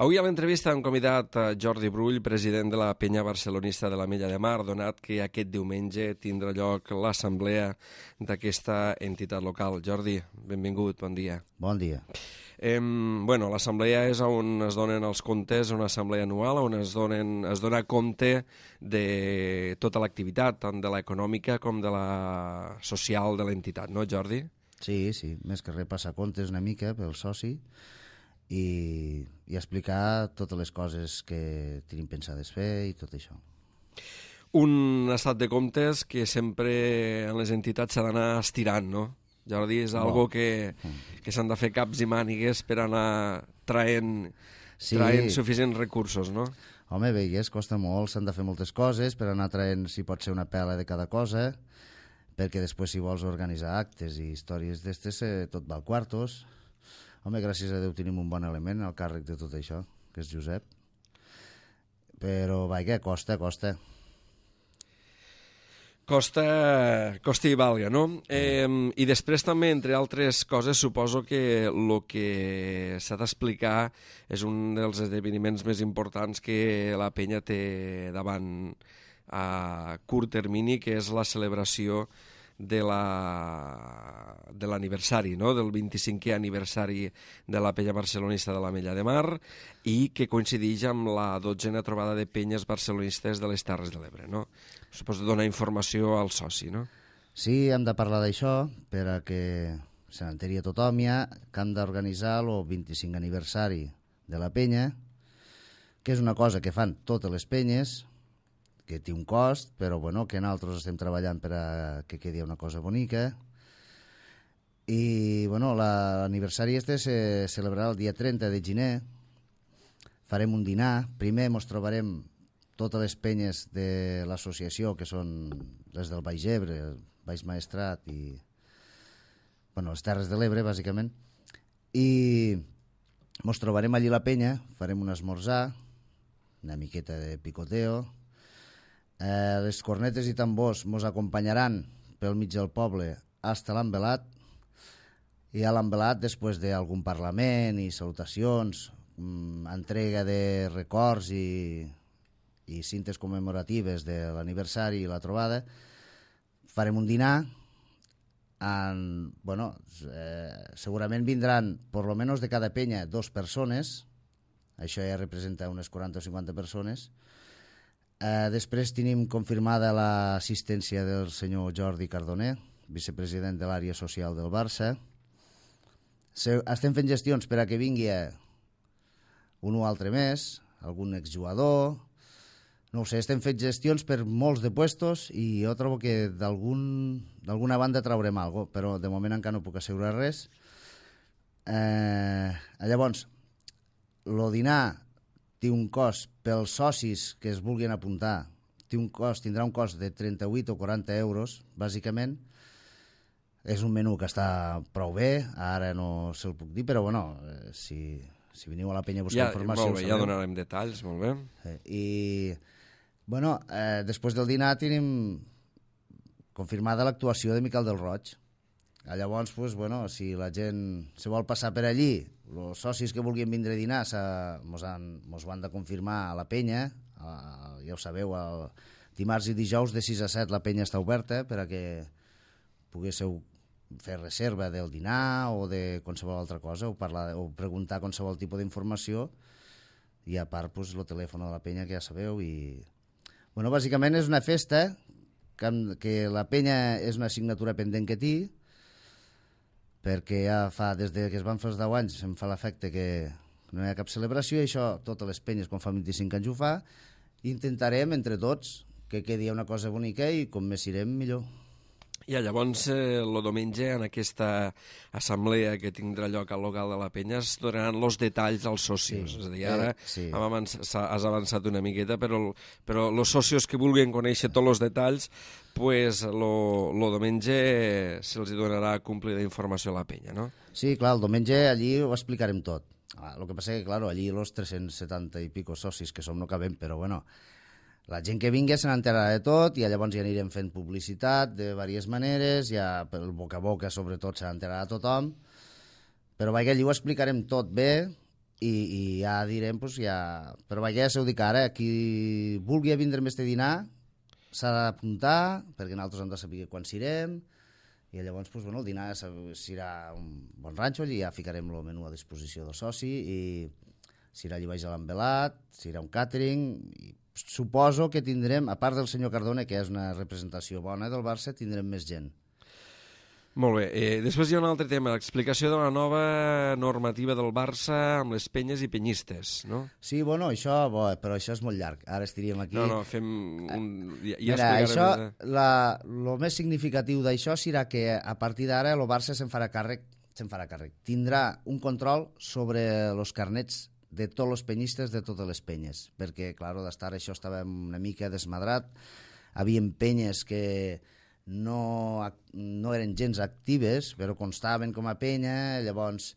Avui a l'entrevista hem convidat a Jordi Brull, president de la penya barcelonista de l'Ametlla de Mar, donat que aquest diumenge tindrà lloc l'assemblea d'aquesta entitat local. Jordi, benvingut, bon dia. Bon dia. L'assemblea és on es donen els comptes, una assemblea anual on es dona compte de tota l'activitat, tant de l'econòmica com de la social de l'entitat, no, Jordi? Sí, més que res passar comptes una mica pel soci i explicar totes les coses que tenim pensades fer i tot això. Un estat de comptes que sempre en les entitats s'ha d'anar estirant, no? Jordi, és algo que s'han de fer caps i mànigues per anar traient suficients recursos, no? Home, veigues, costa molt, s'han de fer moltes coses per anar traient, si pot ser una pela de cada cosa, perquè després si vols organitzar actes i històries d'estes, tot va al quartos. Home, gràcies a Déu tenim un bon element al càrrec de tot això, que és Josep. Però, vaja, costa. Costa i valga, no? I després també, entre altres coses, suposo que el que s'ha d'explicar és un dels esdeveniments més importants que la penya té davant a curt termini, que és la celebració de l'aniversari, no? Del 25è aniversari de la penya barcelonista de l'Ametlla de Mar i que coincideix amb la 12a trobada de penyes barcelonistes de les Terres de l'Ebre, no? Suposo donar informació al soci, no? Sí, hem de parlar d'això perquè se n'enteri a tothom ja que hem d'organitzar el 25 aniversari de la penya, que és una cosa que fan totes les penyes, que té un cost, però bueno, que nosaltres estem treballant per a que quedi una cosa bonica. I bueno, l'aniversari este se celebrarà el dia 30 de gener. Farem un dinar. Primer ens trobarem totes les penyes de l'associació, que són les del Baix Ebre, el Baix Maestrat i les Terres de l'Ebre, bàsicament. I ens trobarem allí la penya, farem un esmorzar, una miqueta de picoteo. Les cornetes i tambors ens acompanyaran pel mig del poble fins a l'envelat, i a l'envelat, després d'algun parlament i salutacions, entrega de records i cintes commemoratives de l'aniversari i la trobada, farem un dinar. Segurament vindran, per lo menos de cada penya, 2 persones, això ja representa unes 40 o 50 persones. Després tenim confirmada l'assistència del senyor Jordi Cardoner, vicepresident de l'àrea social del Barça. Estem fent gestions per a que vingui un o altre més, algun exjugador. No ho sé, estem fent gestions per molts de puestos i jo trobo que d'alguna banda traurem alguna cosa, però de moment encara no puc assegurar res. Llavors, el dinar té un cost pels socis que es vulguin apuntar, tindrà un cost de 38 o 40 euros, bàsicament. És un menú que està prou bé, ara no se'l puc dir, però bueno, si veniu a la penya a buscar informació... Molt bé, ja donarem detalls, molt bé. Després del dinar tenim confirmada l'actuació de Miquel del Roig. Llavors, si la gent se vol passar per allí, els socis que vulguin vindre a dinar mos ho han de confirmar a la penya. Ja ho sabeu, dimarts i dijous de 6 a 7 la penya està oberta per a que poguéssiu fer reserva del dinar o de qualsevol altra cosa, o preguntar qualsevol tipus d'informació, i a part el telèfon de la penya, que ja sabeu. Bàsicament és una festa que la penya és una assignatura pendent que té, perquè ja des que es van fer els 10 anys em fa l'efecte que no hi ha cap celebració, i això totes les penyes quan fa 25 anys ho fa. Intentarem entre tots que quedi una cosa bonica, i com més irem millor. I llavors, el diumenge, en aquesta assemblea que tindrà lloc al local de la penya, es donaran els detalls als socios. És a dir, ara has avançat una miqueta, però els socios que vulguin conèixer tots els detalls, el diumenge se'ls donarà complida informació a la penya, no? Sí, clar, el diumenge allí ho explicarem tot. El que passa que, clar, allí els 370 i pico socis que som no cabem, però bueno... La gent que vingui se n'enterarà de tot, i llavors ja anirem fent publicitat de diverses maneres, ja pel boca a boca sobretot se n'enterarà tothom, però allí ho explicarem tot bé, i ja direm, doncs ja... Però vaja, ja s'ho dic ara, qui vulgui vindre amb este dinar s'ha d'apuntar, perquè nosaltres hem de saber quan s'irem, i llavors doncs, bueno, el dinar serà un bon ranxo, allà ja ficarem el menú a disposició del soci, i serà allà baix a l'envelat, serà un catering, i suposo que tindrem, a part del senyor Cardone, que és una representació bona del Barça, tindrem més gent. Molt bé. Després hi ha un altre tema, l'explicació de la nova normativa del Barça amb les penyes i penyistes, no? Sí, bueno, això, però això és molt llarg. Ara estaríem aquí... No, fem un... Ja Mira, això, el més significatiu d'això serà que a partir d'ara el Barça se'n farà càrrec. Tindrà un control sobre els carnets de tots els penyistes de totes les penyes, perquè, clar, d'estar això estava una mica desmadrat. Havia penyes que no eren gens actives, però constaven com a penya, llavors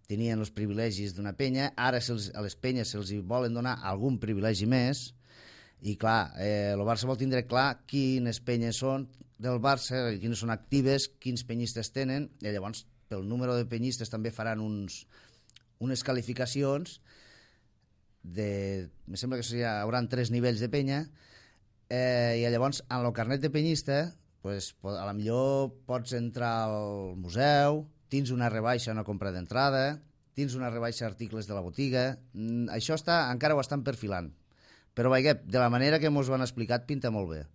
tenien els privilegis d'una penya. Ara a les penyes se'ls volen donar algun privilegi més, i clar, el Barça vol tindre clar quines penyes són del Barça, quines són actives, quins penyistes tenen, i llavors pel número de penyistes també faran unes qualificacions me sembla que hi haurà 3 nivells de penya, i llavors en el carnet de penyista pues, a la millor pots entrar al museu, tens una rebaixa a una compra d'entrada, tens una rebaixa d'articles de la botiga. Això encara ho estan perfilant. Però, vaja, de la manera que ens ho han explicat, pinta molt bé.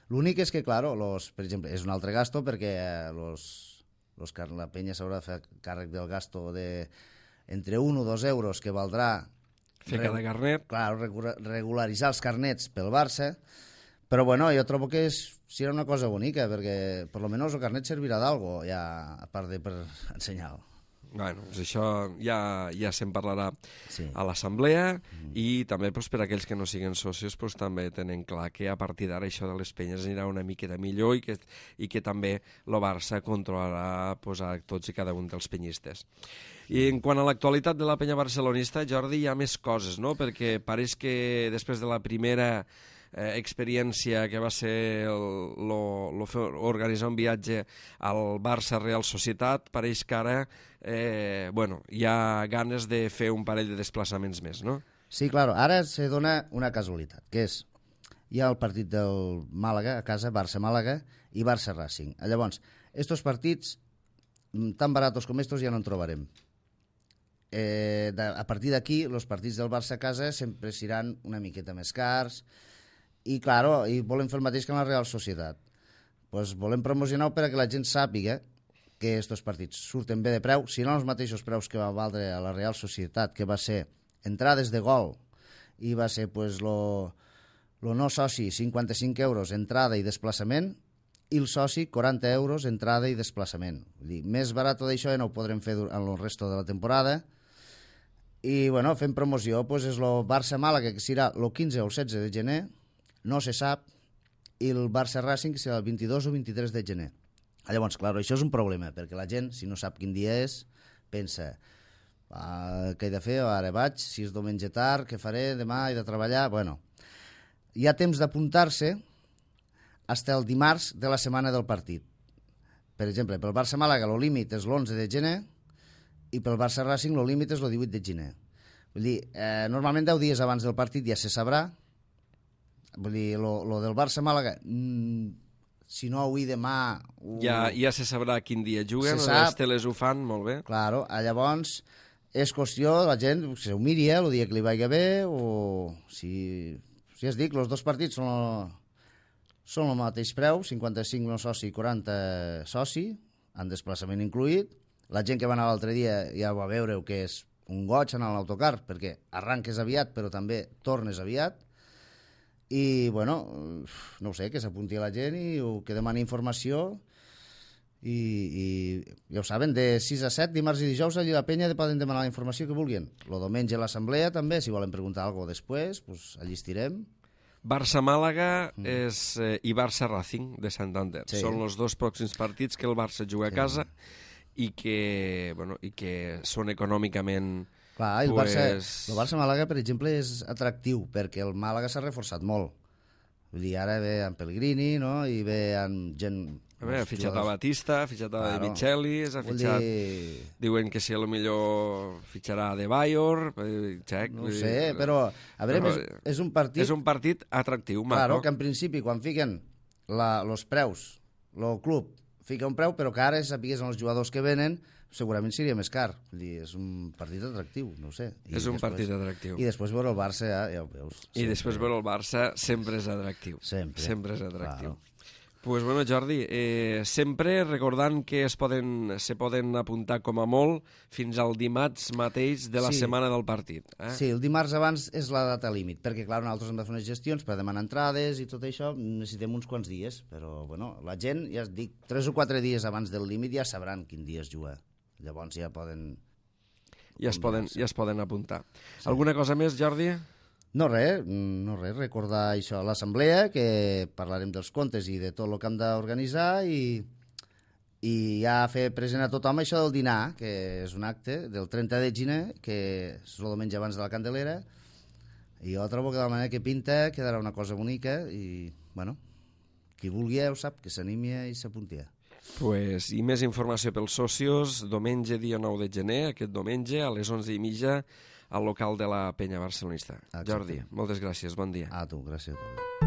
L'únic és que, clar, per exemple, és un altre gasto perquè la penya s'haurà de fer càrrec del gasto entre 1 o 2 euros que valdrà fer cada carnet. Clar, regularitzar els carnets pel Barça. Però, bueno, jo trobo que serà una cosa bonica, perquè per almenys el carnet servirà d'algo, ja, a part de per ensenyar-lo. Bueno, doncs això ja se'n parlarà a l'assemblea, i també doncs, per a aquells que no siguin socis doncs, també tenen clar que a partir d'ara això de les penyes anirà una miqueta millor, i que també el Barça controlarà doncs, a tots i cada un dels penyistes. I en quant a l'actualitat de la penya barcelonista, Jordi, hi ha més coses, no? Perquè pareix que després de la primera experiència que va ser organitzar un viatge al Barça Real Societat, pareix que ara hi ha ganes de fer un parell de desplaçaments més, no? Sí, clar, ara se dona una casualitat, que és, hi ha el partit del Màlaga a casa, Barça-Màlaga i Barça-Racing. Llavors, estos partits, tan baratos com estos, ja no en trobarem. A partir d'aquí, els partits del Barça a casa sempre seran una miqueta més cars, i, clar, volem fer el mateix que en la Real Societat. Pues volem promocionar-ho perquè la gent sàpiga que aquests partits surten bé de preu, si no els mateixos preus que va valdre a la Real Societat, que va ser entrades de gol, i va ser pues, lo no soci 55 euros entrada i desplaçament, i el soci 40 euros entrada i desplaçament. Vull dir, més barat d'això ja no ho podrem fer en el resto de la temporada. I, bueno, fem promoció, pues, és el Barça-Màlaga, que serà el 15 o el 16 de gener, no se sap, i el Barça-Racing serà el 22 o 23 de gener. Llavors, clar, això és un problema, perquè la gent, si no sap quin dia és, pensa, què he de fer? Ara vaig, si és diumenge tard, què faré? Demà he de treballar? Bueno, hi ha temps d'apuntar-se fins el dimarts de la setmana del partit. Per exemple, pel Barça-Màlaga el límit és l'11 de gener i pel Barça-Racing el límit és el 18 de gener. Vull dir, normalment 10 dies abans del partit ja se sabrà. Vull dir, lo del Barça-Màlaga, si no avui demà... Ja se sabrà quin dia juguen, les teles ho fan molt bé. Claro, llavors és qüestió de la gent que s'ho miri el dia que li vagi bé, o si es dic, els dos partits són el mateix preu, 55 no soci i 40 soci, en desplaçament incluït. La gent que va anar l'altre dia ja va veure que és un goig anar a l'autocar, perquè arranques aviat però també tornes aviat. I, bueno, no ho sé, que s'apunti a la gent i que demani informació, i ja ho saben, de 6 a 7, dimarts i dijous, allà a la penya poden demanar la informació que vulguin. El diumenge a l'assemblea també, si volen preguntar alguna cosa després, pues, allí estirem. Barça-Màlaga i Barça-Racing de Santander. Sí. Són els dos pròxims partits que el Barça juga a casa i que són econòmicament... Clar, el Barça-Màlaga, per exemple, és atractiu, perquè el Màlaga s'ha reforçat molt. Vull dir, ara ve amb Pellegrini, no?, i ve amb gent Ha fitxat a Batista, ha fitxat a De Michelis, ha fitxat... Diuen que si a lo millor fitxarà a De Bayor, Txec... No sé, però... A veure, és un partit... És un partit atractiu, maco. Claro, que en principi, quan fiquen els preus, el club fica un preu, però que ara sapigués els jugadors que venen, segurament seria més car. Vull dir, és un partit atractiu, no ho sé. És un partit atractiu. I després veure el Barça, ja ho veus. I després veure el Barça sempre és atractiu. Sempre és atractiu. Pues bueno, Jordi, sempre recordant que se poden apuntar com a molt fins al dimarts mateix de la setmana del partit. Sí, el dimarts abans és la data límit, perquè clar, nosaltres hem de fer unes gestions per demanar entrades i tot això, necessitem uns quants dies, però bueno, la gent, ja et dic, 3 o 4 dies abans del límit ja sabran quin dia es juga. Llavors ja poden... Ja es poden apuntar. Sí. Alguna cosa més, Jordi? No res, recordar això a l'assemblea, que parlarem dels comptes i de tot el que hem d'organitzar i ja fer present a tothom això del dinar, que és un acte del 30 de gener, que és el diumenge abans de la Candelera, i jo trobo que de la manera que pinta quedarà una cosa bonica i, bueno, qui vulgui ho sap, que s'animi i s'apunti. Pues, i més informació pels socios, diumenge dia 9 de gener, aquest diumenge a les 11:30 al local de la Penya Barcelonista. Jordi, moltes gràcies, bon dia. A tu, gràcies a tu.